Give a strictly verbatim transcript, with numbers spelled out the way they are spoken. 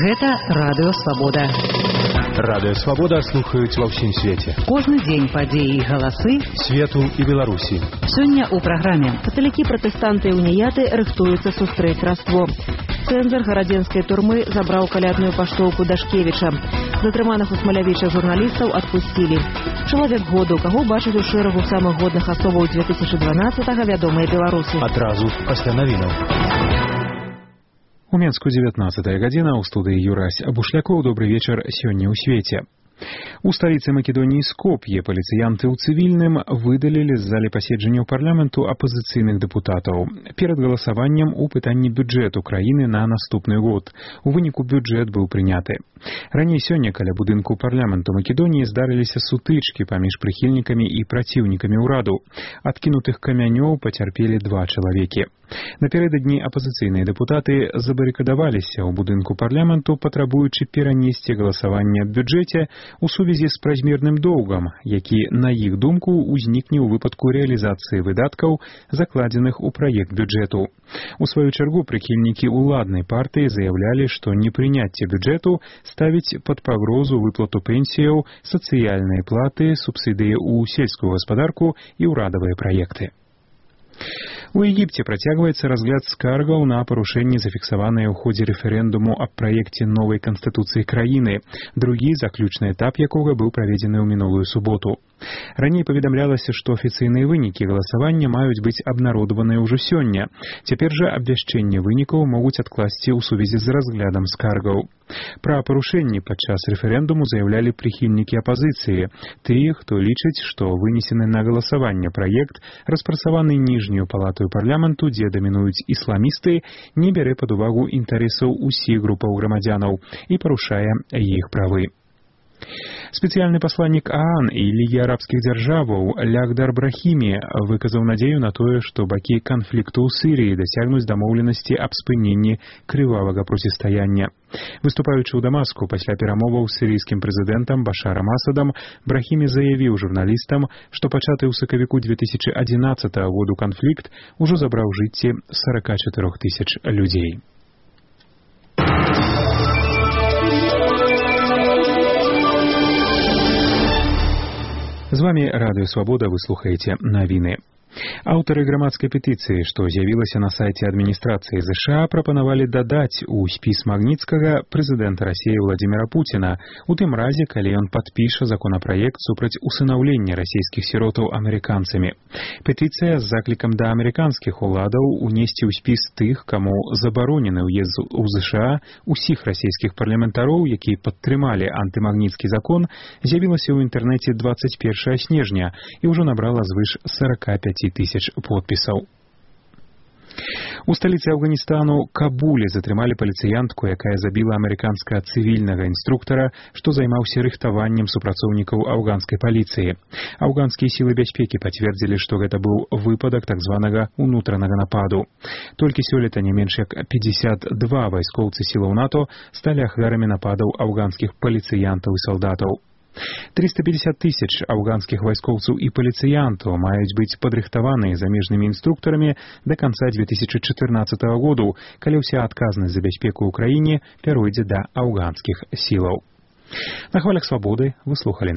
Гэта Радыё Свабода. Радыё Свабода слухаюць ва ўсім свеце. Кожны дзень падзеі і галасы свету і Беларусі. Сёння ў праграме. Каталікі, пратэстанты і уніяты рыхтуюцца сустрэць Раство. Цэнзар гарадзенскай турмы забраў калядную паштоўку Дашкевіча. Затрыманых у Смалявіча журналістаў адпусцілі. Чалавек году, каго бачаць у шэрагу самых годных асобаў две тысячы дванаццатага вядомыя беларусы. Адразу пасля навінаў. У Менску дзевятнаццатая гадзіна, у студыі Юрась Бушлякоў. Добры вечар сёння ў свеце. У сталіцы Македоніі Скоп'е паліцыянты ў цывільным выдалілі з залі паседжанняў парламенту апазіцыйных дэпутатаў перад галасаваннем у пытанні бюджэту краіны на наступны год. У выніку бюджэт быў прыняты. Раней сёння каля будынку парламенту Македоніі здарыліся сутычкі паміж прыхільнікамі і праціўнікамі ўраду. Адкінутых камянёў пацярпелі два чалавекі. Напярэдадні апазіцыйныя дэпутаты забарыкадаваліся ў будынку парламенту, патрабуючы перанесці галасаванне аб бюджэце у сувязі з празмерным доўгам, які, на іх думку, узнікне ў выпадку рэалізацыі выдаткаў, закладзеных у праект бюджэту. У сваю чаргу прыхільнікі ўладнай партыі заяўлялі, што непрыняцце бюджэту ставіць пад пагрозу выплату пенсіяў, сацыяльныя платы, субсідыі ў сельскую гаспадарку і ўрадавыя праекты. У Егіпце працягваецца разгляд скаргаў на парушэнні, зафіксаваныя ў ходзе рэферэндуму аб праекце новай канстытуцыі краіны, другі заключны этап якога быў праведзены ў минулую суботу. Раней паведамлялася, што афіцыйныя вынікі галасавання маюць быць абнародаваныя ўжо сёння. Цяпер жа абвяшчэнне вынікаў могуць адкласці ў сувязі з разглядам скаргаў. Пра парушэнні падчас рэферэндуму заяўлялі прыхільнікі апазіцыі, тыя, хто лічыць, што вынесены на галасаванне праект, распрацаваны ніжнюю палатаю парламенту, дзе дамінуюць ісламісты, не бярэ пад увагу інтарэсаў усіх групаў грамадзянаў і парушае іх правы. Спецыяльны пасланнік ААН і Лігі арабскіх дзяржаваў Лягдар Брахімі выказаў надзею на тое, што бакі канфлікту ў Сірыі дасягнуць дамоўленасці аб спыненні крывавага процістаяння. Выступаючы ў Дамаску пасля перамоваў з сірыйскім прэзідэнтам Башарам Асадам, Брахімі заявіў журналістам, што пачаты ў сакавіку две тысячы адзінаццатага году канфлікт ужо забраў жыцці сорок чатыры тысяч людзей. З вами Радыё Свабода, вы слухаеце навіны. Аўтары грамадскай петыцыі, што з'явілася на сайце адміністрацыі ЗША, прапанавалі дадаць у спіс Магніцкага прэзідэнта Расіі Владзіміра Пуціна, у тым разе, калі ён падпіша законапраект супраць усынаўлення расійскіх сіротаў амерыканцамі. Петыцыя з заклікам да амерыканскіх уладаў унесці ў спіс тых, каму забаронены ўезд у ЗША, усіх расійскіх парламентароў, якія падтрымалі антымагніцкі закон, з'явілася ў інтэрнэце дваццаць першага снежня і ўжо набрала звыш сорок пять тысяч подпісаў. У сталіцы Афганістану Кабуле затрымалі паліцыянтку, якая забіла амерыканскага цывільнага інструктара, што займаўся рыхтаваннем супрацоўнікаў афганскай паліцыі. Афганскія сілы бяспекі пацвердзілі, што гэта быў выпадак так званага унутранага нападу. Толькі сёлета не менш як пятьдесят два вайскоўцы сілаў НАТО сталі ахвярамі нападаў афганскіх паліцыянтаў і салдатаў. триста пятьдесят тысяч афганскіх вайскоўцаў і паліцыянтаў маюць быць падрыхтаваныя замежнымі інструктарамі да канца две тысячи чатырнаццатага году, калі ўся адказнасць за бяспеку ў краіне пяройдзе да афганскіх сілаў. На хвалях Свабоды вы слухалі